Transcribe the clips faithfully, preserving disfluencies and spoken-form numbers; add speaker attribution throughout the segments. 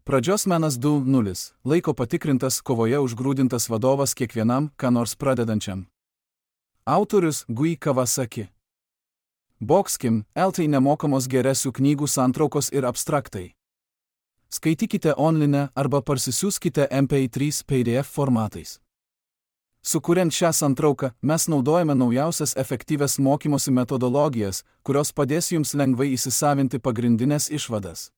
Speaker 1: Pradžios menas du nulis. Laiko patikrintas, kovoje užgrūdintas vadovas kiekvienam, ką nors pradedančiam. Autorius Gui Kawasaki. Boxkim, eltai nemokamos geresių knygų santraukos ir abstraktai. Skaitykite online arba parsisiųskite M P trys P D F formatais. Sukuriant šią santrauką, mes naudojame naujausias efektyvias mokymosi metodologijas, kurios padės jums lengvai įsisavinti pagrindinės išvadas.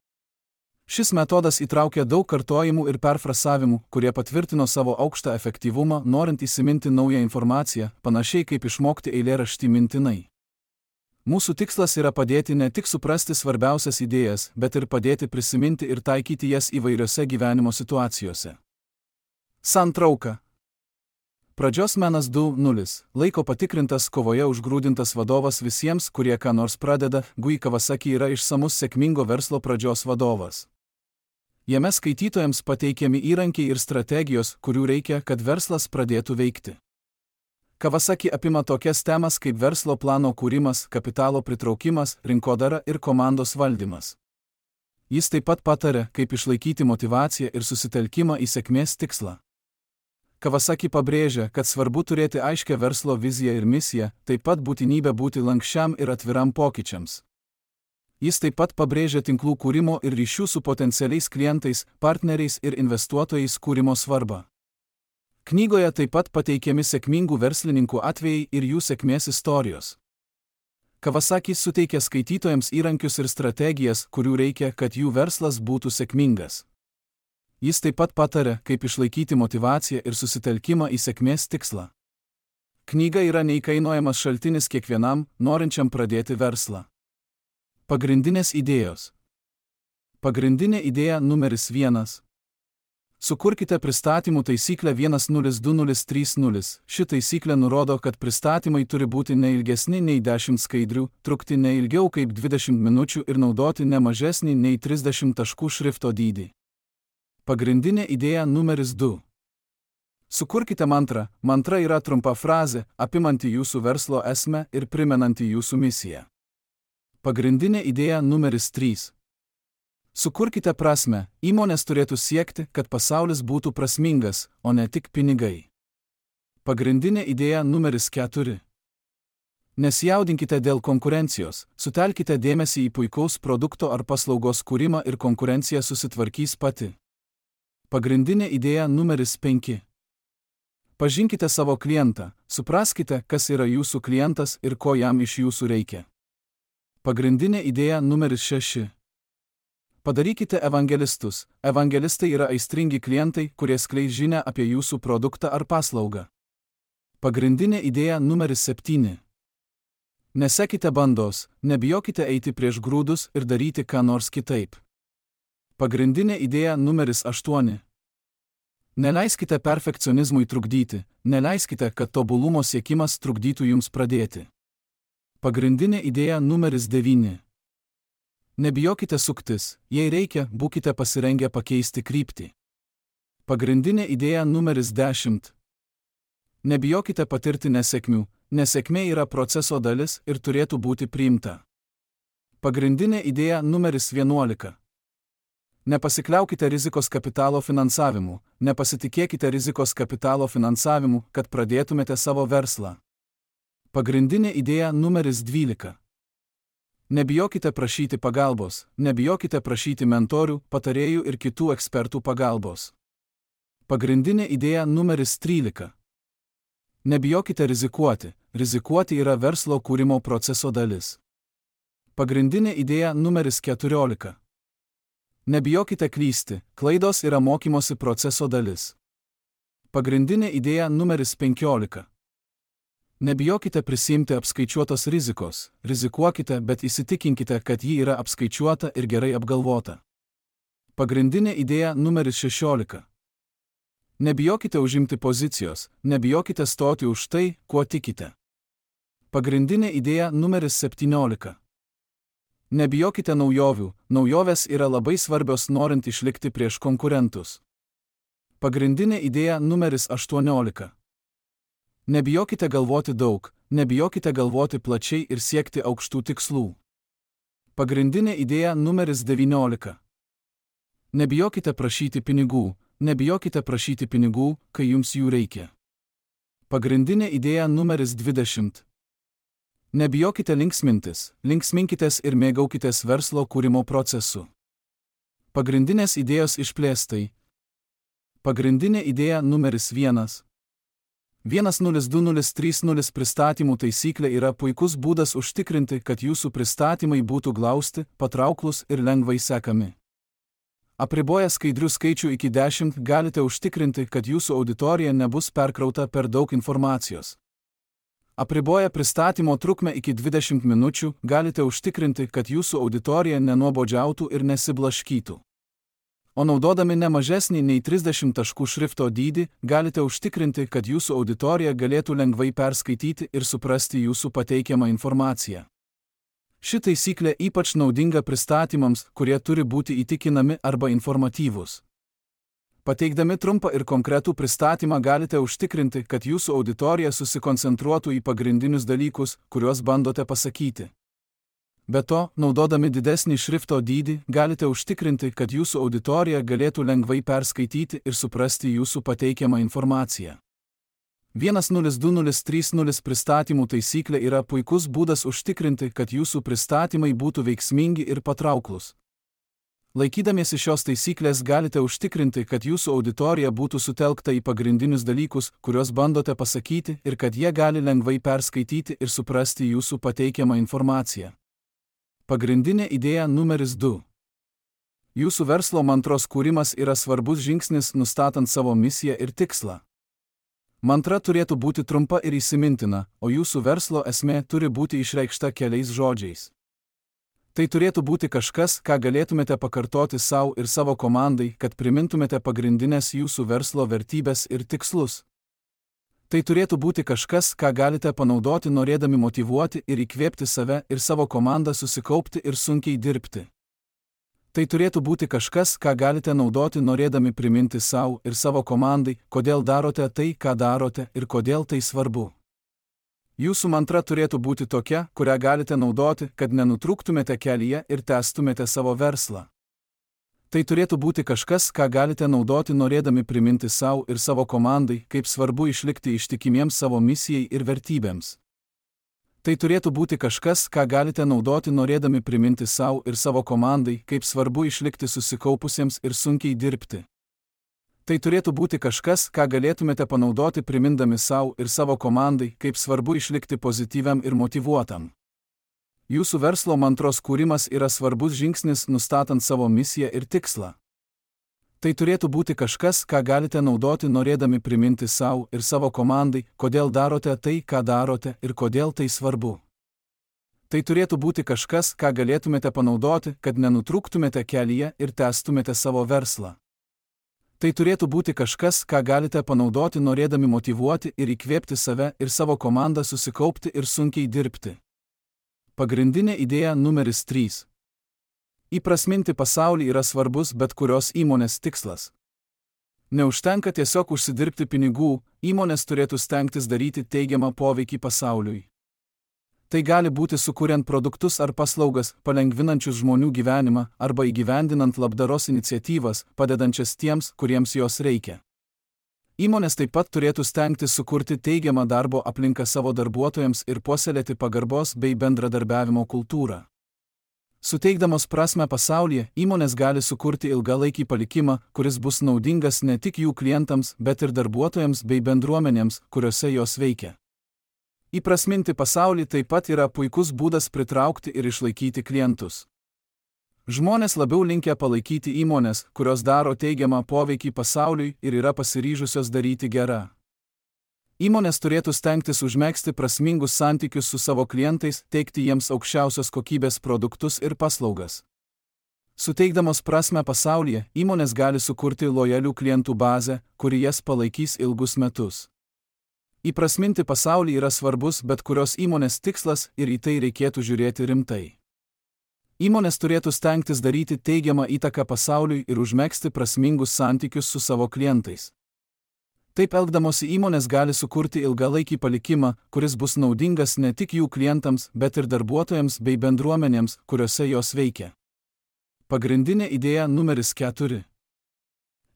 Speaker 1: Šis metodas įtraukia daug kartojimų ir perfrasavimų, kurie patvirtino savo aukštą efektyvumą, norint įsiminti naują informaciją, panašiai kaip išmokti eilėraštį mintinai. Mūsų tikslas yra padėti ne tik suprasti svarbiausias idėjas, bet ir padėti prisiminti ir taikyti jas įvairiose gyvenimo situacijose. Santrauka. Pradžios menas du nulis. Laiko patikrintas, kovoje užgrūdintas vadovas visiems, kurie ką nors pradeda. Gui Kawasaki yra išsamus sėkmingo verslo pradžios vadovas. Jame skaitytojams pateikiami įrankiai ir strategijos, kurių reikia, kad verslas pradėtų veikti. Kawasaki apima tokias temas kaip verslo plano kūrimas, kapitalo pritraukimas, rinkodara ir komandos valdymas. Jis taip pat pataria, kaip išlaikyti motyvaciją ir susitelkimą į sėkmės tikslą. Kawasaki pabrėžia, kad svarbu turėti aiškią verslo viziją ir misiją, taip pat būtinybę būti lankščiam ir atviram pokyčiams. Jis taip pat pabrėžia tinklų kūrimo ir ryšių su potencialiais klientais, partneriais ir investuotojais kūrimo svarbą. Knygoje taip pat pateikiami sėkmingų verslininkų atvejai ir jų sėkmės istorijos. Kawasaki suteikia skaitytojams įrankius ir strategijas, kurių reikia, kad jų verslas būtų sėkmingas. Jis taip pat pataria, kaip išlaikyti motyvaciją ir susitelkimą į sėkmės tikslą. Knyga yra neįkainojamas šaltinis kiekvienam, norinčiam pradėti verslą. Pagrindinės idėjos. Pagrindinė idėja numeris vienas. Sukurkite pristatymų taisyklę vienas nulis du nulis trys nulis. Ši taisyklė nurodo, kad pristatymai turi būti ne ilgesni nei dešimt skaidrių, trukti ne ilgiau kaip dvidešimt minučių ir naudoti ne mažesnį nei trisdešimt taškų šrifto dydį. Pagrindinė idėja numeris du. Sukurkite mantrą. Mantra yra trumpa frazė, apimanti jūsų verslo esmę ir primenanti jūsų misiją. Pagrindinė idėja numeris trys. Sukurkite prasmę. Įmonės turėtų siekti, kad pasaulis būtų prasmingas, o ne tik pinigai. Pagrindinė idėja numeris keturi. Nesijaudinkite dėl konkurencijos, sutelkite dėmesį į puikaus produkto ar paslaugos kūrimą ir konkurencija susitvarkys pati. Pagrindinė idėja numeris penki. Pažinkite savo klientą, supraskite, kas yra jūsų klientas ir ko jam iš jūsų reikia. Pagrindinė idėja numeris šeši. Padarykite evangelistus. Evangelistai yra aistringi klientai, kurie skleis žinią apie jūsų produktą ar paslaugą. Pagrindinė idėja numeris septyni. Nesekite bandos, nebijokite eiti prieš grūdus ir daryti ką nors kitaip. Pagrindinė idėja numeris aštuoni. Neleiskite perfekcionizmui trukdyti, neleiskite, kad tobulumo siekimas trukdytų jums pradėti. Pagrindinė idėja numeris devyni. Nebijokite suktis, jei reikia, būkite pasirengę pakeisti kryptį. Pagrindinė idėja numeris dešimt. Nebijokite patirti nesėkmių, nesėkmė yra proceso dalis ir turėtų būti priimta. Pagrindinė idėja numeris vienuolika. Nepasikliaukite rizikos kapitalo finansavimu, nepasitikėkite rizikos kapitalo finansavimu, kad pradėtumėte savo verslą. Pagrindinė idėja numeris dvylika. Nebijokite prašyti pagalbos, nebijokite prašyti mentorių, patarėjų ir kitų ekspertų pagalbos. Pagrindinė idėja numeris trylika. Nebijokite rizikuoti, rizikuoti yra verslo kūrimo proceso dalis. Pagrindinė idėja numeris keturiolika. Nebijokite klysti, klaidos yra mokymosi proceso dalis. Pagrindinė idėja numeris penkiolika. Nebijokite prisiimti apskaičiuotos rizikos, rizikuokite, bet įsitikinkite, kad ji yra apskaičiuota ir gerai apgalvota. Pagrindinė idėja numeris šešiolika. Nebijokite užimti pozicijos, nebijokite stoti už tai, kuo tikite. Pagrindinė idėja numeris septyniolika. Nebijokite naujovių, naujovės yra labai svarbios norint išlikti prieš konkurentus. Pagrindinė idėja numeris aštuoniolika. Nebijokite galvoti daug, nebijokite galvoti plačiai ir siekti aukštų tikslų. Pagrindinė idėja numeris devyniolika. Nebijokite prašyti pinigų, nebijokite prašyti pinigų, kai jums jų reikia. Pagrindinė idėja numeris dvidešimt. Nebijokite linksmintis, linksminkitės ir mėgaukitės verslo kūrimo procesu. Pagrindinės idėjos išplėstai. Pagrindinė idėja numeris vienas. vienas nulis du nulis trys nulis pristatymų taisyklė yra puikus būdas užtikrinti, kad jūsų pristatymai būtų glausti, patrauklus ir lengvai sekami. Apriboję skaidrių skaičių iki dešimt galite užtikrinti, kad jūsų auditorija nebus perkrauta per daug informacijos. Apriboję pristatymo trukmę iki dvidešimt minučių galite užtikrinti, kad jūsų auditorija nenuobodžiautų ir nesiblaškytų. O naudodami ne mažesnį nei trisdešimt taškų šrifto dydį, galite užtikrinti, kad jūsų auditorija galėtų lengvai perskaityti ir suprasti jūsų pateikiamą informaciją. Ši taisyklė ypač naudinga pristatymams, kurie turi būti įtikinami arba informatyvūs. Pateikdami trumpą ir konkretų pristatymą galite užtikrinti, kad jūsų auditorija susikoncentruotų į pagrindinius dalykus, kuriuos bandote pasakyti. Be to, naudodami didesnį šrifto dydį, galite užtikrinti, kad jūsų auditorija galėtų lengvai perskaityti ir suprasti jūsų pateikiamą informaciją. vienas nulis du nulis trys nulis pristatymų taisyklė yra puikus būdas užtikrinti, kad jūsų pristatymai būtų veiksmingi ir patrauklus. Laikydamiesi šios taisyklės galite užtikrinti, kad jūsų auditorija būtų sutelkta į pagrindinius dalykus, kuriuos bandote pasakyti, ir kad jie gali lengvai perskaityti ir suprasti jūsų pateikiamą informaciją. Pagrindinė idėja numeris du. Jūsų verslo mantros kūrimas yra svarbus žingsnis nustatant savo misiją ir tikslą. Mantra turėtų būti trumpa ir įsimintina, o jūsų verslo esmė turi būti išreikšta keliais žodžiais. Tai turėtų būti kažkas, ką galėtumėte pakartoti savo ir savo komandai, kad primintumėte pagrindinės jūsų verslo vertybės ir tikslus. Tai turėtų būti kažkas, ką galite panaudoti norėdami motyvuoti ir įkvėpti save ir savo komandą susikaupti ir sunkiai dirbti. Tai turėtų būti kažkas, ką galite naudoti norėdami priminti savo ir savo komandai, kodėl darote tai, ką darote ir kodėl tai svarbu. Jūsų mantra turėtų būti tokia, kurią galite naudoti, kad nenutrūktumėte kelyje ir tęstumėte savo verslą. Tai turėtų būti kažkas, ką galite naudoti norėdami priminti savo ir savo komandai, kaip svarbu išlikti ištikimiems savo misijai ir vertybėms. Tai turėtų būti kažkas, ką galite naudoti norėdami priminti savo ir savo komandai, kaip svarbu išlikti susikaupusiems ir sunkiai dirbti. Tai turėtų būti kažkas, ką galėtumėte panaudoti primindami savo ir savo komandai, kaip svarbu išlikti pozityviam ir motyvuotam. Jūsų verslo mantros kūrimas yra svarbus žingsnis nustatant savo misiją ir tikslą. Tai turėtų būti kažkas, ką galite naudoti norėdami priminti savo ir savo komandai, kodėl darote tai, ką darote ir kodėl tai svarbu. Tai turėtų būti kažkas, ką galėtumėte panaudoti, kad nenutrūktumėte kelyje ir tęstumėte savo verslą. Tai turėtų būti kažkas, ką galite panaudoti norėdami motyvuoti ir įkvėpti save ir savo komandą susikaupti ir sunkiai dirbti. Pagrindinė idėja numeris trys. Įprasminti pasaulį yra svarbus bet kurios įmonės tikslas. Neužtenka tiesiog užsidirbti pinigų, įmonės turėtų stengtis daryti teigiamą poveikį pasauliui. Tai gali būti sukuriant produktus ar paslaugas, palengvinančius žmonių gyvenimą, arba įgyvendinant labdaros iniciatyvas, padedančias tiems, kuriems jos reikia. Įmonės taip pat turėtų stengtis sukurti teigiamą darbo aplinką savo darbuotojams ir puoselėti pagarbos bei bendradarbiavimo kultūrą. Suteikdamos prasmę pasaulyje, įmonės gali sukurti ilgalaikį palikimą, kuris bus naudingas ne tik jų klientams, bet ir darbuotojams bei bendruomenėms, kuriuose jos veikia. Įprasminti pasaulį taip pat yra puikus būdas pritraukti ir išlaikyti klientus. Žmonės labiau linkę palaikyti įmonės, kurios daro teigiamą poveikį pasauliui ir yra pasiryžusios daryti gerą. Įmonės turėtų stengtis užmegzti prasmingus santykius su savo klientais, teikti jiems aukščiausios kokybės produktus ir paslaugas. Suteikdamos prasmę pasaulyje, įmonės gali sukurti lojalių klientų bazę, kuri jas palaikys ilgus metus. Įprasminti pasaulį yra svarbus bet kurios įmonės tikslas ir į tai reikėtų žiūrėti rimtai. Įmonės turėtų stengtis daryti teigiamą įtaką pasauliui ir užmegzti prasmingus santykius su savo klientais. Taip elgdamosi įmonės gali sukurti ilgalaikį palikimą, kuris bus naudingas ne tik jų klientams, bet ir darbuotojams bei bendruomenėms, kuriuose jos veikia. Pagrindinė idėja numeris keturi.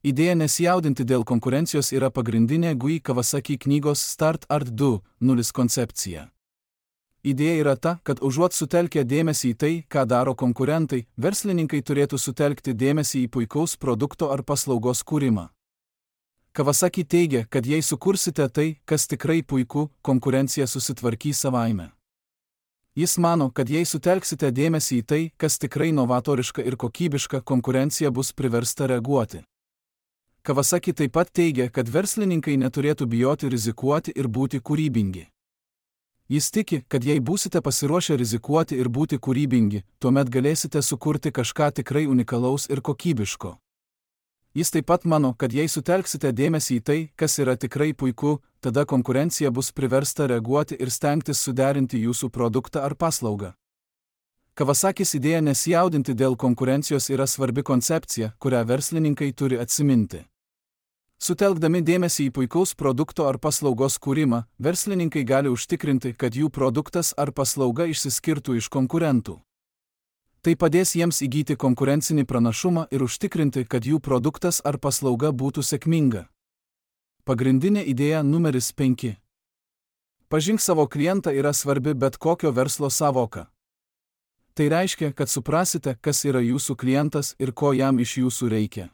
Speaker 1: Idėja nesijaudinti dėl konkurencijos yra pagrindinė Gui Kawasaki knygos Start Art du nulis koncepcija. Idėja yra ta, kad užuot sutelkę dėmesį į tai, ką daro konkurentai, verslininkai turėtų sutelkti dėmesį į puikaus produkto ar paslaugos kūrimą. Kawasaki teigia, kad jei sukursite tai, kas tikrai puiku, konkurencija susitvarkys savaime. Jis mano, kad jei sutelksite dėmesį į tai, kas tikrai novatoriška ir kokybiška, konkurencija bus priversta reaguoti. Kawasaki taip pat teigia, kad verslininkai neturėtų bijoti rizikuoti ir būti kūrybingi. Jis tiki, kad jei būsite pasiruošę rizikuoti ir būti kūrybingi, tuomet galėsite sukurti kažką tikrai unikalaus ir kokybiško. Jis taip pat mano, kad jei sutelksite dėmesį į tai, kas yra tikrai puiku, tada konkurencija bus priversta reaguoti ir stengtis suderinti jūsų produktą ar paslaugą. Kawasakis idėja nesijaudinti dėl konkurencijos yra svarbi koncepcija, kurią verslininkai turi atsiminti. Sutelkdami dėmesį į puikaus produkto ar paslaugos kūrimą, verslininkai gali užtikrinti, kad jų produktas ar paslauga išsiskirtų iš konkurentų. Tai padės jiems įgyti konkurencinį pranašumą ir užtikrinti, kad jų produktas ar paslauga būtų sėkminga. Pagrindinė idėja numeris penki. Pažink savo klientą yra svarbi bet kokio verslo sąvoka. Tai reiškia, kad suprasite, kas yra jūsų klientas ir ko jam iš jūsų reikia.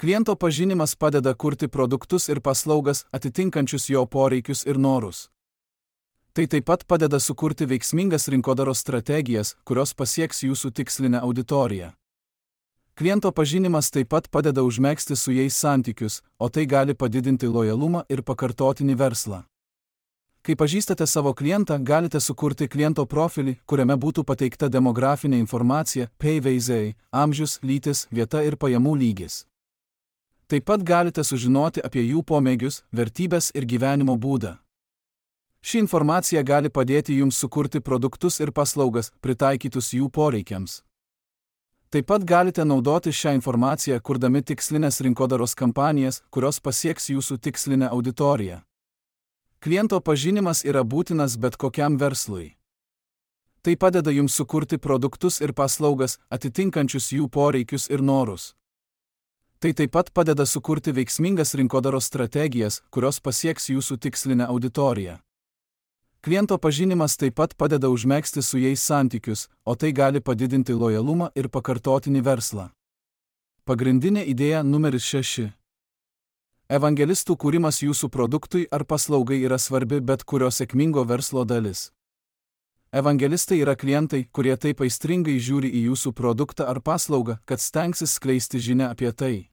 Speaker 1: Kliento pažinimas padeda kurti produktus ir paslaugas atitinkančius jo poreikius ir norus. Tai taip pat padeda sukurti veiksmingas rinkodaros strategijas, kurios pasieks jūsų tikslinę auditoriją. Kliento pažinimas taip pat padeda užmegzti su jais santykius, o tai gali padidinti lojalumą ir pakartotinį verslą. Kai pažįstate savo klientą, galite sukurti kliento profilį, kuriame būtų pateikta demografinė informacija, P V Z, amžius, lytis, vieta ir pajamų lygis. Taip pat galite sužinoti apie jų pomėgius, vertybes ir gyvenimo būdą. Ši informacija gali padėti jums sukurti produktus ir paslaugas, pritaikytus jų poreikiams. Taip pat galite naudoti šią informaciją, kurdami tikslinės rinkodaros kampanijas, kurios pasieks jūsų tikslinę auditoriją. Kliento pažinimas yra būtinas bet kokiam verslui. Tai padeda jums sukurti produktus ir paslaugas, atitinkančius jų poreikius ir norus. Tai taip pat padeda sukurti veiksmingas rinkodaros strategijas, kurios pasieks jūsų tikslinę auditoriją. Kliento pažinimas taip pat padeda užmegzti su jais santykius, o tai gali padidinti lojalumą ir pakartotinį verslą. Pagrindinė idėja numeris šeši. Evangelistų kūrimas jūsų produktui ar paslaugai yra svarbi bet kurio sėkmingo verslo dalis. Evangelistai yra klientai, kurie taip aistringai žiūri į jūsų produktą ar paslaugą, kad stengsis skleisti žinią apie tai.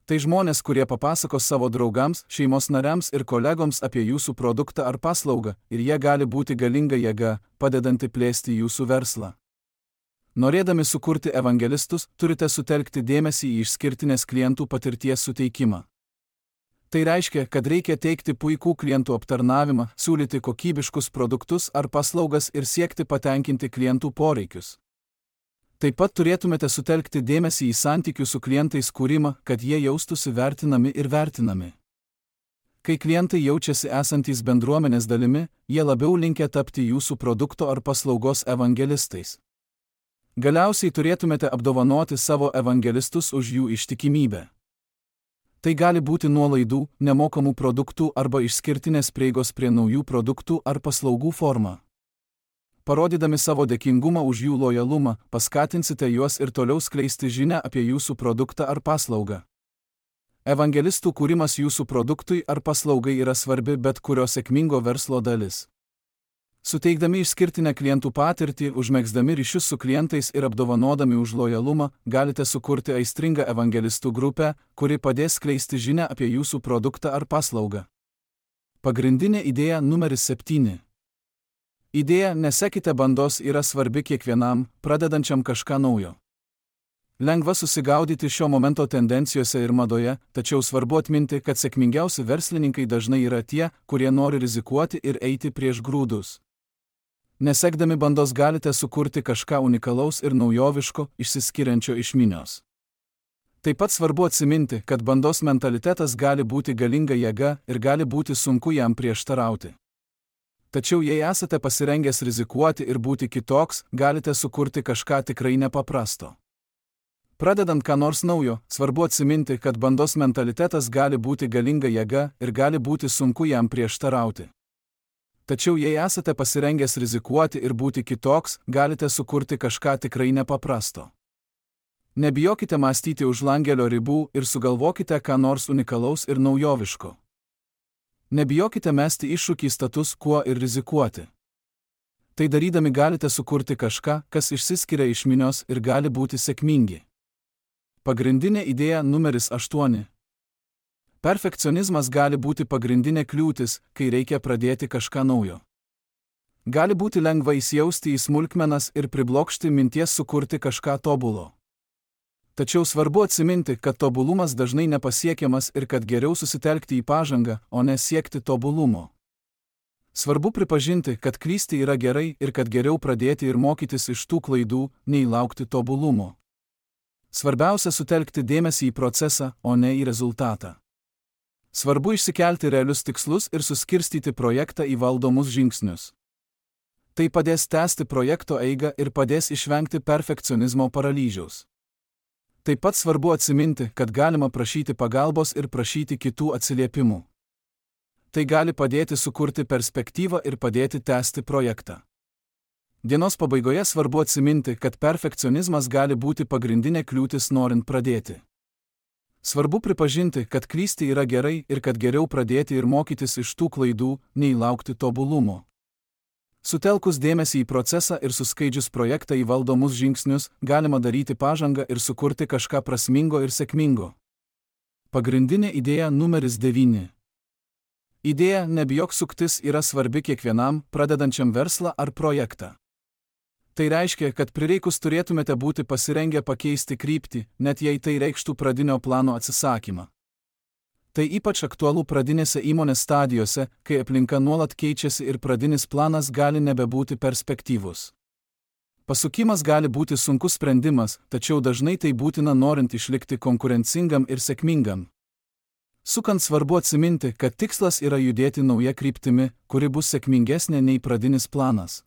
Speaker 1: Tai žmonės, kurie papasakos savo draugams, šeimos nariams ir kolegoms apie jūsų produktą ar paslaugą, ir jie gali būti galinga jėga, padedanti plėsti jūsų verslą. Norėdami sukurti evangelistus, turite sutelkti dėmesį į išskirtinės klientų patirties suteikimą. Tai reiškia, kad reikia teikti puikų klientų aptarnavimą, siūlyti kokybiškus produktus ar paslaugas ir siekti patenkinti klientų poreikius. Taip pat turėtumėte sutelkti dėmesį į santykių su klientais kūrimą, kad jie jaustųsi vertinami ir vertinami. Kai klientai jaučiasi esantys bendruomenės dalimi, jie labiau linkę tapti jūsų produkto ar paslaugos evangelistais. Galiausiai turėtumėte apdovanoti savo evangelistus už jų ištikimybę. Tai gali būti nuolaidų, nemokamų produktų arba išskirtinės prieigos prie naujų produktų ar paslaugų forma. Parodydami savo dėkingumą už jų lojalumą, paskatinsite juos ir toliau skleisti žinią apie jūsų produktą ar paslaugą. Evangelistų kūrimas jūsų produktui ar paslaugai yra svarbi bet kurio sėkmingo verslo dalis. Suteikdami išskirtinę klientų patirtį, užmegzdami ryšius su klientais ir apdovanodami už lojalumą, galite sukurti aistringą evangelistų grupę, kuri padės skleisti žinią apie jūsų produktą ar paslaugą. Pagrindinė idėja numeris septyni. Idėja nesekite bandos yra svarbi kiekvienam, pradedančiam kažką naujo. Lengva susigaudyti šio momento tendencijose ir madoje, tačiau svarbu atminti, kad sėkmingiausi verslininkai dažnai yra tie, kurie nori rizikuoti ir eiti prieš grūdus. Nesekdami bandos galite sukurti kažką unikalaus ir naujoviško, išsiskiriančio iš minios. Taip pat svarbu atsiminti, kad bandos mentalitetas gali būti galinga jėga ir gali būti sunku jam prieštarauti. Tačiau jei esate pasirengęs rizikuoti ir būti kitoks, galite sukurti kažką tikrai nepaprasto. Pradedant ką nors naujo, svarbu atsiminti, kad bandos mentalitetas gali būti galinga jėga ir gali būti sunku jam prieštarauti. Tačiau jei esate pasirengęs rizikuoti ir būti kitoks, galite sukurti kažką tikrai nepaprasto. Nebijokite mąstyti už langelio ribų ir sugalvokite ką nors unikalaus ir naujoviško. Nebijokite mesti iššūkį status quo ir rizikuoti. Tai darydami galite sukurti kažką, kas išsiskiria iš minios ir gali būti sėkmingi. Pagrindinė idėja numeris aštuoni. Perfekcionizmas gali būti pagrindinė kliūtis, kai reikia pradėti kažką naujo. Gali būti lengva įsijausti į smulkmenas ir priblokšti minties sukurti kažką tobulo. Tačiau svarbu atsiminti, kad tobulumas dažnai nepasiekiamas ir kad geriau susitelkti į pažangą, o ne siekti tobulumo. Svarbu pripažinti, kad klysti yra gerai ir kad geriau pradėti ir mokytis iš tų klaidų, nei laukti tobulumo. Svarbiausia sutelkti dėmesį į procesą, o ne į rezultatą. Svarbu išsikelti realius tikslus ir suskirstyti projektą į valdomus žingsnius. Tai padės tęsti projekto eigą ir padės išvengti perfekcionizmo paralyžiaus. Taip pat svarbu atsiminti, kad galima prašyti pagalbos ir prašyti kitų atsiliepimų. Tai gali padėti sukurti perspektyvą ir padėti tęsti projektą. Dienos pabaigoje svarbu atsiminti, kad perfekcionizmas gali būti pagrindinė kliūtis norint pradėti. Svarbu pripažinti, kad klysti yra gerai ir kad geriau pradėti ir mokytis iš tų klaidų, nei laukti tobulumo. Sutelkus dėmesį į procesą ir suskaidžius projektą į valdomus žingsnius, galima daryti pažangą ir sukurti kažką prasmingo ir sėkmingo. Pagrindinė idėja numeris devyni. Idėja nebijok suktis yra svarbi kiekvienam, pradedančiam verslą ar projektą. Tai reiškia, kad prireikus turėtumėte būti pasirengę pakeisti kryptį, net jei tai reikštų pradinio plano atsisakymą. Tai ypač aktualu pradinėse įmonės stadijose, kai aplinka nuolat keičiasi ir pradinis planas gali nebebūti perspektyvus. Pasukimas gali būti sunkus sprendimas, tačiau dažnai tai būtina norint išlikti konkurencingam ir sėkmingam. Sukant svarbu atsiminti, kad tikslas yra judėti nauja kryptimi, kuri bus sėkmingesnė nei pradinis planas.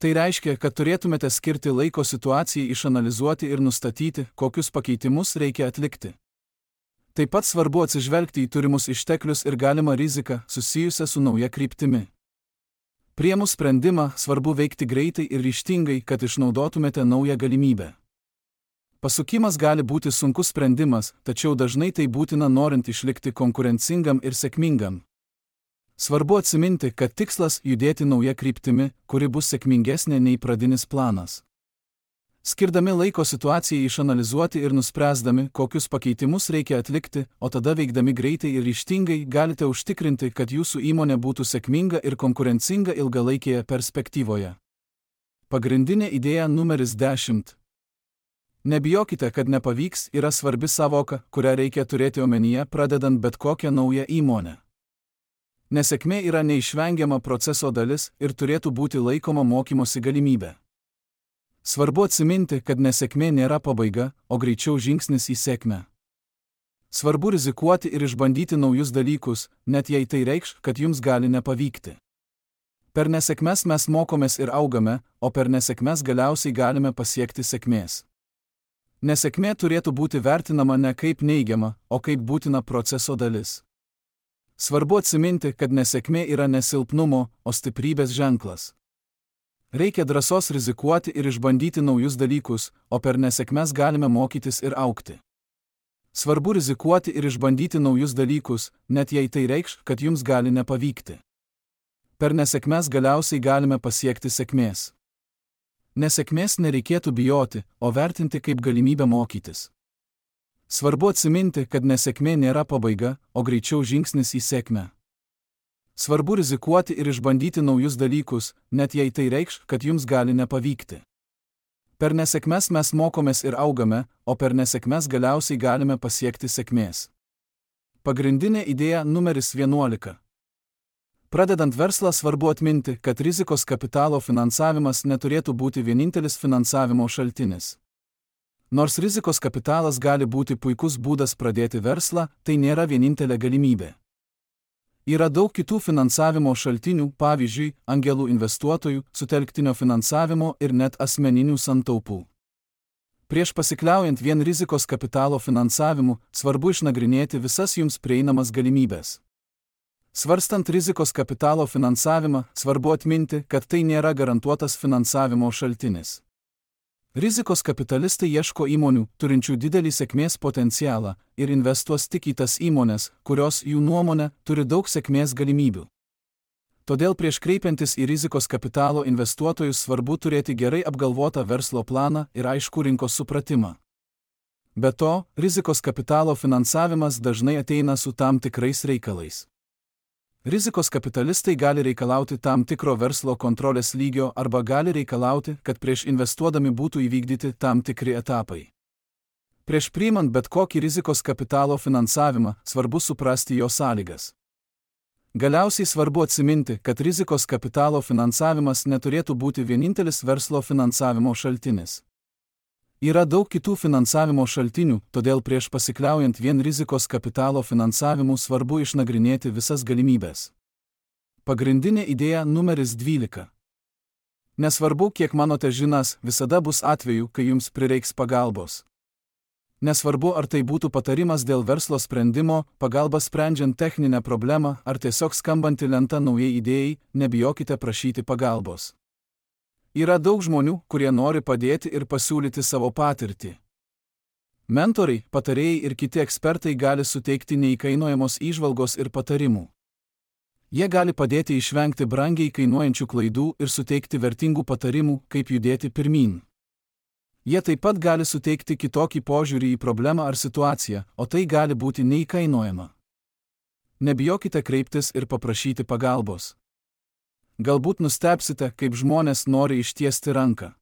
Speaker 1: Tai reiškia, kad turėtumėte skirti laiko situacijai išanalizuoti ir nustatyti, kokius pakeitimus reikia atlikti. Taip pat svarbu atsižvelgti į turimus išteklius ir galimą riziką susijusią su nauja kryptimi. Priėmus sprendimą, svarbu veikti greitai ir ryžtingai, kad išnaudotumėte naują galimybę. Pasukimas gali būti sunkus sprendimas, tačiau dažnai tai būtina norint išlikti konkurencingam ir sėkmingam. Svarbu atsiminti, kad tikslas judėti nauja kryptimi, kuri bus sėkmingesnė nei pradinis planas. Skirdami laiko situacijai išanalizuoti ir nuspręsdami, kokius pakeitimus reikia atlikti, o tada veikdami greitai ir ryžtingai galite užtikrinti, kad jūsų įmonė būtų sėkminga ir konkurencinga ilgalaikėje perspektyvoje. Pagrindinė idėja numeris dešimt. Nebijokite, kad nepavyks yra svarbi sąvoka, kurią reikia turėti omenyje pradedant bet kokią naują įmonę. Nesėkmė yra neišvengiama proceso dalis ir turėtų būti laikoma mokymosi galimybė. Svarbu atsiminti, kad nesėkmė nėra pabaiga, o greičiau žingsnis į sėkmę. Svarbu rizikuoti ir išbandyti naujus dalykus, net jei tai reikš, kad jums gali nepavykti. Per nesėkmes mes mokomės ir augame, o per nesėkmes galiausiai galime pasiekti sėkmės. Nesėkmė turėtų būti vertinama ne kaip neigiama, o kaip būtina proceso dalis. Svarbu atsiminti, kad nesėkmė yra ne silpnumo, o stiprybės ženklas. Reikia drąsos rizikuoti ir išbandyti naujus dalykus, o per nesėkmes galime mokytis ir augti. Svarbu rizikuoti ir išbandyti naujus dalykus, net jei tai reikš, kad jums gali nepavykti. Per nesėkmes galiausiai galime pasiekti sėkmės. Nesėkmės nereikėtų bijoti, o vertinti kaip galimybę mokytis. Svarbu atsiminti, kad nesėkmė nėra pabaiga, o greičiau žingsnis į sėkmę. Svarbu rizikuoti ir išbandyti naujus dalykus, net jei tai reikš, kad jums gali nepavykti. Per nesėkmes mes mokomės ir augame, o per nesėkmes galiausiai galime pasiekti sėkmės. Pagrindinė idėja numeris vienuolika. Pradedant verslą svarbu atminti, kad rizikos kapitalo finansavimas neturėtų būti vienintelis finansavimo šaltinis. Nors rizikos kapitalas gali būti puikus būdas pradėti verslą, tai nėra vienintelė galimybė. Yra daug kitų finansavimo šaltinių, pavyzdžiui, angelų investuotojų, sutelktinio finansavimo ir net asmeninių santaupų. Prieš pasikliaujant vien rizikos kapitalo finansavimu, svarbu išnagrinėti visas jums prieinamas galimybės. Svarstant rizikos kapitalo finansavimą, svarbu atminti, kad tai nėra garantuotas finansavimo šaltinis. Rizikos kapitalistai ieško įmonių, turinčių didelį sėkmės potencialą, ir investuos tik į tas įmonės, kurios, jų nuomone, turi daug sėkmės galimybių. Todėl prieš kreipiantis į rizikos kapitalo investuotojus svarbu turėti gerai apgalvotą verslo planą ir aiškų rinkos supratimą. Be to, rizikos kapitalo finansavimas dažnai ateina su tam tikrais reikalais. Rizikos kapitalistai gali reikalauti tam tikro verslo kontrolės lygio arba gali reikalauti, kad prieš investuodami būtų įvykdyti tam tikri etapai. Prieš priimant bet kokį rizikos kapitalo finansavimą, svarbu suprasti jo sąlygas. Galiausiai svarbu atsiminti, kad rizikos kapitalo finansavimas neturėtų būti vienintelis verslo finansavimo šaltinis. Yra daug kitų finansavimo šaltinių, todėl prieš pasikliaujant vien rizikos kapitalo finansavimu svarbu išnagrinėti visas galimybės. Pagrindinė idėja numeris dvylika. Nesvarbu, kiek manote žinas, visada bus atvejų, kai jums prireiks pagalbos. Nesvarbu, ar tai būtų patarimas dėl verslo sprendimo, pagalba sprendžiant techninę problemą, ar tiesiog skambanti lenta naujai idėjai, nebijokite prašyti pagalbos. Yra daug žmonių, kurie nori padėti ir pasiūlyti savo patirtį. Mentoriai, patarėjai ir kiti ekspertai gali suteikti neįkainojamos įžvalgos ir patarimų. Jie gali padėti išvengti brangiai kainuojančių klaidų ir suteikti vertingų patarimų, kaip judėti pirmyn. Jie taip pat gali suteikti kitokį požiūrį į problemą ar situaciją, o tai gali būti neįkainojama. Nebijokite kreiptis ir paprašyti pagalbos. Galbūt nustebsite, kaip žmonės nori ištiesti ranką.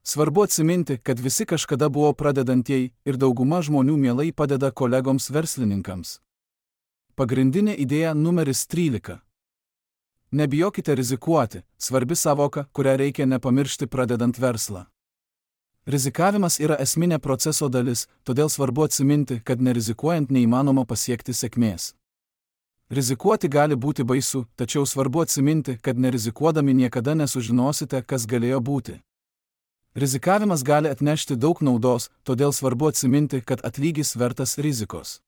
Speaker 1: Svarbu atsiminti, kad visi kažkada buvo pradedantieji ir dauguma žmonių mielai padeda kolegoms verslininkams. Pagrindinė idėja numeris trylika. Nebijokite rizikuoti, svarbi savoka, kurią reikia nepamiršti pradedant verslą. Rizikavimas yra esminė proceso dalis, todėl svarbu atsiminti, kad nerizikuojant neįmanoma pasiekti sėkmės. Rizikuoti gali būti baisu, tačiau svarbu atsiminti, kad nerizikuodami niekada nesužinosite, kas galėjo būti. Rizikavimas gali atnešti daug naudos, todėl svarbu atsiminti, kad atlygis vertas rizikos.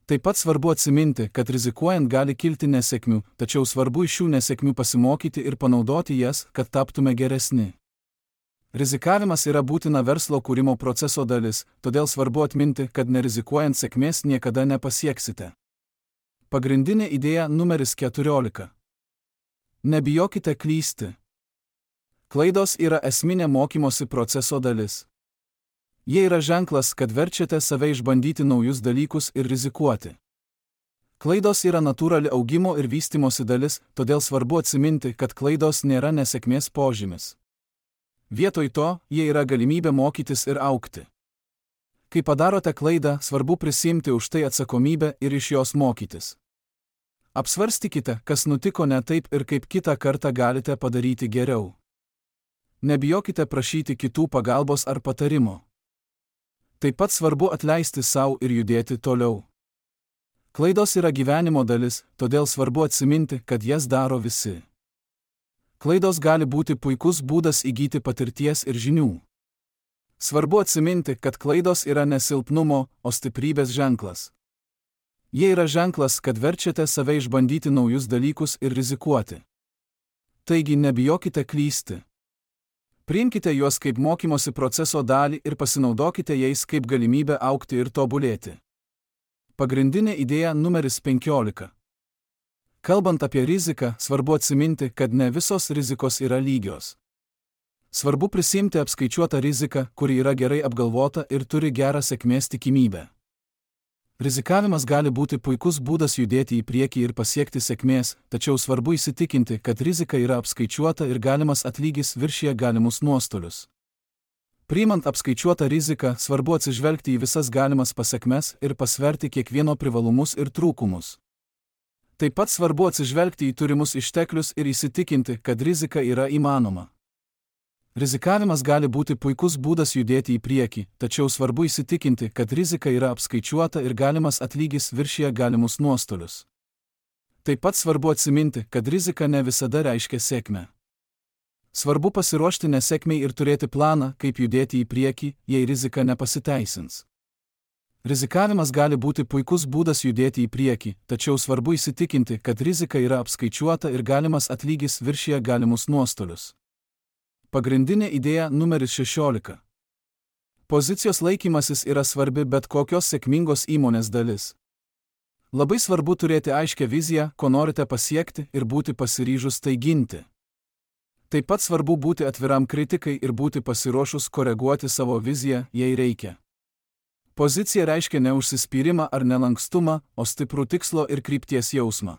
Speaker 1: Taip pat svarbu atsiminti, kad rizikuojant gali kilti nesėkmių, tačiau svarbu iš šių nesėkmių pasimokyti ir panaudoti jas, kad taptume geresni. Rizikavimas yra būtina verslo kūrimo proceso dalis, todėl svarbu atminti, kad nerizikuojant sėkmės niekada nepasieksite. Pagrindinė idėja numeris keturiolika. Nebijokite klysti. Klaidos yra esminė mokymosi proceso dalis. Jie yra ženklas, kad verčiate save išbandyti naujus dalykus ir rizikuoti. Klaidos yra natūrali augimo ir vystymosi dalis, todėl svarbu atsiminti, kad klaidos nėra nesėkmės požymis. Vietoj to, jie yra galimybė mokytis ir augti. Kai padarote klaidą, svarbu prisiimti už tai atsakomybę ir iš jos mokytis. Apsvarstykite, kas nutiko ne taip ir kaip kitą kartą galite padaryti geriau. Nebijokite prašyti kitų pagalbos ar patarimo. Taip pat svarbu atleisti sau ir judėti toliau. Klaidos yra gyvenimo dalis, todėl svarbu atsiminti, kad jas daro visi. Klaidos gali būti puikus būdas įgyti patirties ir žinių. Svarbu atsiminti, kad klaidos yra ne silpnumo, o stiprybės ženklas. Jie yra ženklas, kad verčiate save išbandyti naujus dalykus ir rizikuoti. Taigi nebijokite klysti. Priimkite juos kaip mokymosi proceso dalį ir pasinaudokite jais kaip galimybę augti ir tobulėti. Pagrindinė idėja numeris penkiolika. Kalbant apie riziką, svarbu atsiminti, kad ne visos rizikos yra lygios. Svarbu prisimti apskaičiuotą riziką, kuri yra gerai apgalvota ir turi gerą sėkmės tikimybę. Rizikavimas gali būti puikus būdas judėti į priekį ir pasiekti sėkmės, tačiau svarbu įsitikinti, kad rizika yra apskaičiuota ir galimas atlygis viršija galimus nuostolius. Priimant apskaičiuotą riziką, svarbu atsižvelgti į visas galimas pasekmes ir pasverti kiekvieno privalumus ir trūkumus. Taip pat svarbu atsižvelgti į turimus išteklius ir įsitikinti, kad rizika yra įmanoma. Rizikavimas gali būti puikus būdas judėti į priekį, tačiau svarbu įsitikinti, kad rizika yra apskaičiuota ir galimas atlygis viršija galimus nuostolius. Taip pat svarbu atsiminti, kad rizika ne visada reiškia sėkmę. Svarbu pasiruošti nesėkmei ir turėti planą, kaip judėti į priekį, jei rizika nepasiteisins. Rizikavimas gali būti puikus būdas judėti į priekį, tačiau svarbu įsitikinti, kad rizika yra apskaičiuota ir galimas atlygis viršija galimus nuostolius. Pagrindinė idėja numeris šešiolika. Pozicijos laikymasis yra svarbi bet kokios sėkmingos įmonės dalis. Labai svarbu turėti aiškią viziją, ko norite pasiekti ir būti pasiryžus tai ginti. Taip pat svarbu būti atviram kritikai ir būti pasiruošus koreguoti savo viziją, jei reikia. Pozicija reiškia ne užsispyrimą ar nelankstumą, o stiprų tikslo ir krypties jausmą.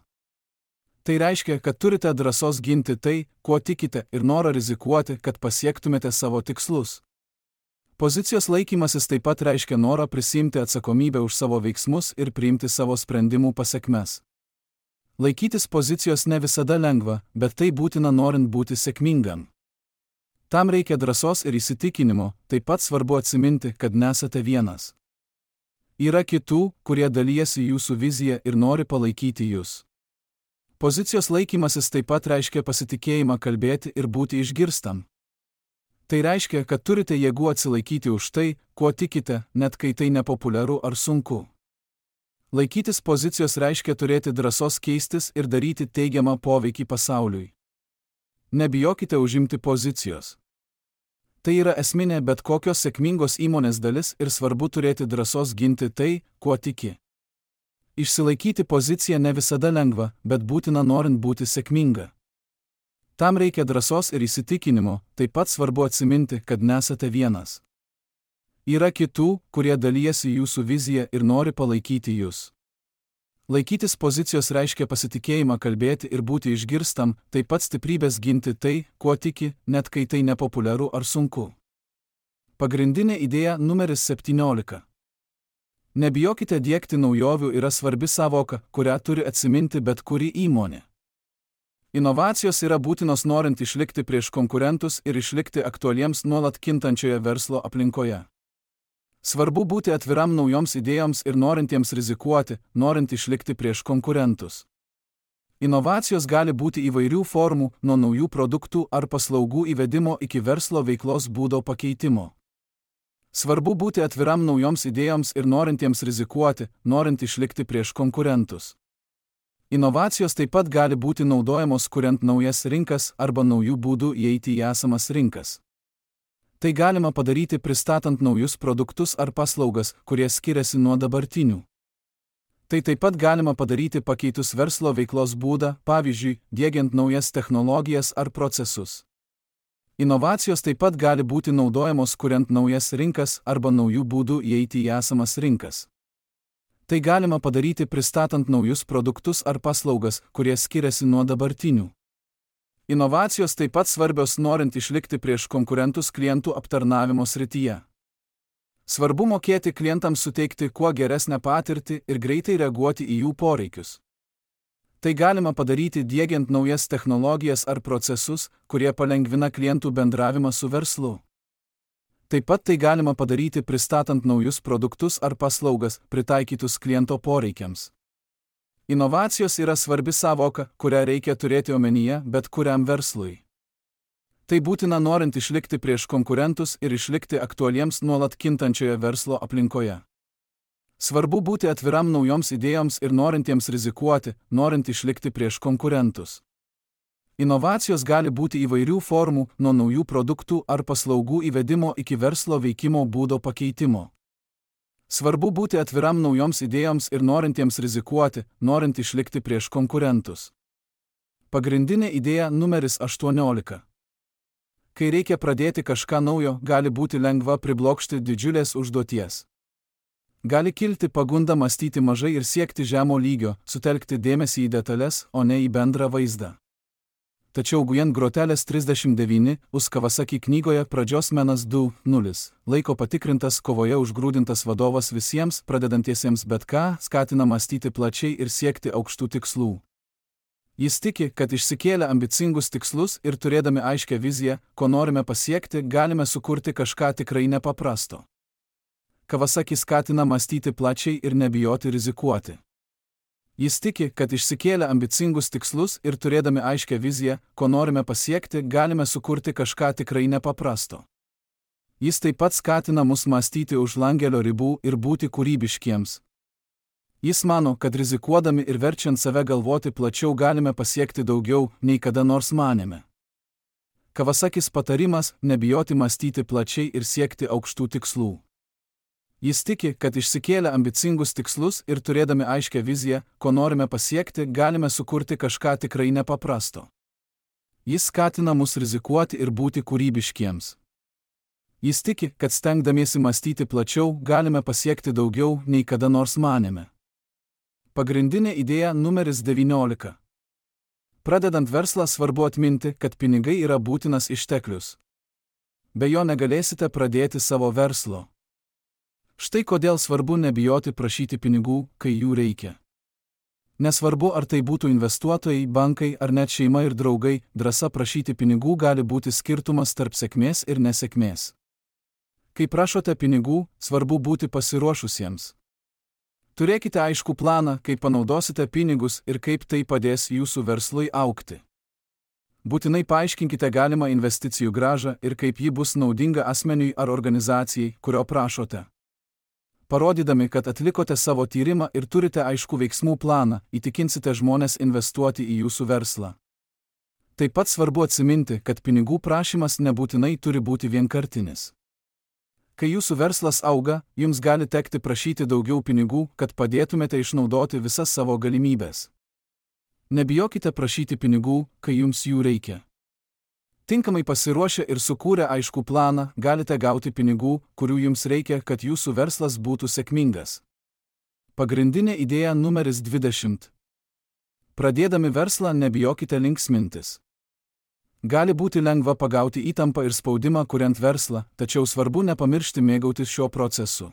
Speaker 1: Tai reiškia, kad turite drąsos ginti tai, kuo tikite ir norą rizikuoti, kad pasiektumėte savo tikslus. Pozicijos laikymasis taip pat reiškia norą prisimti atsakomybę už savo veiksmus ir priimti savo sprendimų pasekmes. Laikytis pozicijos ne visada lengva, bet tai būtina norint būti sėkmingam. Tam reikia drąsos ir įsitikinimo, taip pat svarbu atsiminti, kad nesate vienas. Yra kitų, kurie dalijasi jūsų viziją ir nori palaikyti jūs. Pozicijos laikymasis taip pat reiškia pasitikėjimą kalbėti ir būti išgirstam. Tai reiškia, kad turite jėgų atsilaikyti už tai, kuo tikite, net kai tai nepopuliaru ar sunku. Laikytis pozicijos reiškia turėti drąsos keistis ir daryti teigiamą poveikį pasauliui. Nebijokite užimti pozicijos. Tai yra esminė bet kokios sėkmingos įmonės dalis ir svarbu turėti drąsos ginti tai, kuo tiki. Išsilaikyti poziciją ne visada lengva, bet būtina norint būti sėkminga. Tam reikia drąsos ir įsitikinimo, taip pat svarbu atsiminti, kad nesate vienas. Yra kitų, kurie dalijasi jūsų viziją ir nori palaikyti jūs. Laikytis pozicijos reiškia pasitikėjimą kalbėti ir būti išgirstam, taip pat stiprybės ginti tai, kuo tiki, net kai tai nepopuliaru ar sunku. Pagrindinė idėja numeris septyniolika. Nebijokite diegti naujovių yra svarbi savoka, kurią turi atsiminti bet kuri įmonė. Inovacijos yra būtinos norint išlikti prieš konkurentus ir išlikti aktualiems nuolat kintančioje verslo aplinkoje. Svarbu būti atviram naujoms idėjoms ir norintiems rizikuoti, norint išlikti prieš konkurentus. Inovacijos gali būti įvairių formų, nuo naujų produktų ar paslaugų įvedimo iki verslo veiklos būdo pakeitimo. Svarbu būti atviram naujoms idėjoms ir norintiems rizikuoti, norint išlikti prieš konkurentus. Inovacijos taip pat gali būti naudojamos kuriant naujas rinkas arba naujų būdų įeiti į esamas rinkas. Tai galima padaryti pristatant naujus produktus ar paslaugas, kurie skiriasi nuo dabartinių. Tai taip pat galima padaryti pakeitus verslo veiklos būdą, pavyzdžiui, diegiant naujas technologijas ar procesus. Inovacijos taip pat gali būti naudojamos kuriant naujas rinkas arba naujų būdų įeiti į esamas rinkas. Tai galima padaryti pristatant naujus produktus ar paslaugas, kurie skiriasi nuo dabartinių. Inovacijos taip pat svarbios norint išlikti prieš konkurentus klientų aptarnavimo srityje. Svarbu mokėti klientams suteikti kuo geresnę patirtį ir greitai reaguoti į jų poreikius. Tai galima padaryti diegiant naujas technologijas ar procesus, kurie palengvina klientų bendravimą su verslu. Taip pat tai galima padaryti pristatant naujus produktus ar paslaugas, pritaikytus kliento poreikiams. Inovacijos yra svarbi savoka, kurią reikia turėti omenyje bet kuriam verslui. Tai būtina norint išlikti prieš konkurentus ir išlikti aktualiems nuolat kintančioje verslo aplinkoje. Svarbu būti atviram naujoms idėjoms ir norintiems rizikuoti, norint išlikti prieš konkurentus. Inovacijos gali būti įvairių formų, nuo naujų produktų ar paslaugų įvedimo iki verslo veikimo būdo pakeitimo. Svarbu būti atviram naujoms idėjoms ir norintiems rizikuoti, norint išlikti prieš konkurentus. Pagrindinė idėja numeris aštuoniolika. Kai reikia pradėti kažką naujo, gali būti lengva priblokšti didžiulės užduoties. Gali kilti pagunda mąstyti mažai ir siekti žemo lygio, sutelkti dėmesį į detalės, o ne į bendrą vaizdą. Tačiau Gujen Grotelės trisdešimt devyni, Us Kawasaki knygoje Pradžios menas du nulis, laiko patikrintas kovoje užgrūdintas vadovas visiems, pradedantiesiems bet ką, skatina mąstyti plačiai ir siekti aukštų tikslų. Jis tiki, kad išsikėlę ambicingus tikslus ir turėdami aiškią viziją, ko norime pasiekti, galime sukurti kažką tikrai nepaprasto. Kawasaki skatina mąstyti plačiai ir nebijoti rizikuoti. Jis tiki, kad išsikėlę ambicingus tikslus ir turėdami aiškę viziją, ko norime pasiekti, galime sukurti kažką tikrai nepaprasto. Jis taip pat skatina mus mąstyti už langelio ribų ir būti kūrybiškiems. Jis mano, kad rizikuodami ir verčiant save galvoti plačiau galime pasiekti daugiau, nei kada nors manėme. Kawasakis patarimas – nebijoti mąstyti plačiai ir siekti aukštų tikslų. Jis tiki, kad išsikėlę ambicingus tikslus ir turėdami aiškę viziją, ko norime pasiekti, galime sukurti kažką tikrai nepaprasto. Jis skatina mus rizikuoti ir būti kūrybiškiems. Jis tiki, kad stengdamiesi mąstyti plačiau, galime pasiekti daugiau, nei kada nors manėme. Pagrindinė idėja numeris devyniolika. Pradedant verslą svarbu atminti, kad pinigai yra būtinas išteklius. Be jo negalėsite pradėti savo verslo. Štai kodėl svarbu nebijoti prašyti pinigų, kai jų reikia. Nesvarbu, ar tai būtų investuotojai, bankai ar net šeima ir draugai, drąsa prašyti pinigų gali būti skirtumas tarp sėkmės ir nesėkmės. Kai prašote pinigų, svarbu būti pasiruošusiems. Turėkite aiškų planą, kaip panaudosite pinigus ir kaip tai padės jūsų verslui augti. Būtinai paaiškinkite galimą investicijų grąžą ir kaip ji bus naudinga asmeniui ar organizacijai, kurio prašote. Parodydami, kad atlikote savo tyrimą ir turite aiškų veiksmų planą, įtikinsite žmones investuoti į jūsų verslą. Taip pat svarbu atsiminti, kad pinigų prašymas nebūtinai turi būti vienkartinis. Kai jūsų verslas auga, jums gali tekti prašyti daugiau pinigų, kad padėtumėte išnaudoti visas savo galimybės. Nebijokite prašyti pinigų, kai jums jų reikia. Tinkamai pasiruošę ir sukūrę aiškų planą, galite gauti pinigų, kurių jums reikia, kad jūsų verslas būtų sėkmingas. Pagrindinė idėja numeris dvidešimt. Pradėdami verslą nebijokite linksmintis. Gali būti lengva pagauti įtampą ir spaudimą kuriant verslą, tačiau svarbu nepamiršti mėgautis šiuo procesu.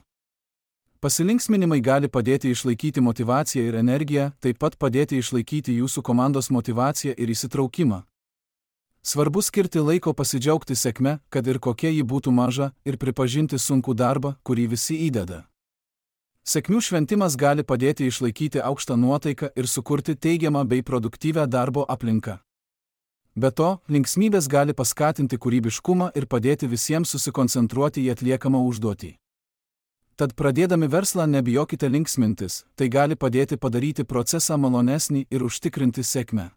Speaker 1: Pasilinksminimai gali padėti išlaikyti motyvaciją ir energiją, taip pat padėti išlaikyti jūsų komandos motyvaciją ir įsitraukimą. Svarbu skirti laiko pasidžiaugti sėkme, kad ir kokia ji būtų maža, ir pripažinti sunkų darbą, kurį visi įdeda. Sėkmių šventimas gali padėti išlaikyti aukštą nuotaiką ir sukurti teigiamą bei produktyvią darbo aplinką. Be to, linksmybės gali paskatinti kūrybiškumą ir padėti visiems susikoncentruoti į atliekamą užduotį. Tad pradėdami verslą nebijokite linksmintis, tai gali padėti padaryti procesą malonesnį ir užtikrinti sėkmę.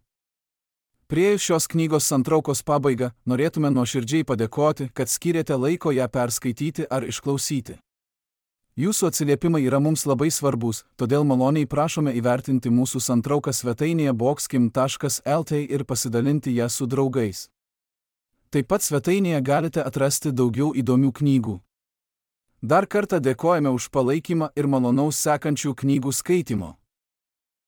Speaker 1: Priėjus šios knygos santraukos pabaigą, norėtume nuoširdžiai padėkoti, kad skyrėte laiko ją perskaityti ar išklausyti. Jūsų atsiliepimai yra mums labai svarbus, todėl maloniai prašome įvertinti mūsų santrauką svetainėje boxkim taškas lt ir pasidalinti ją su draugais. Taip pat svetainėje galite atrasti daugiau įdomių knygų. Dar kartą dėkojame už palaikymą ir malonaus sekančių knygų skaitimo.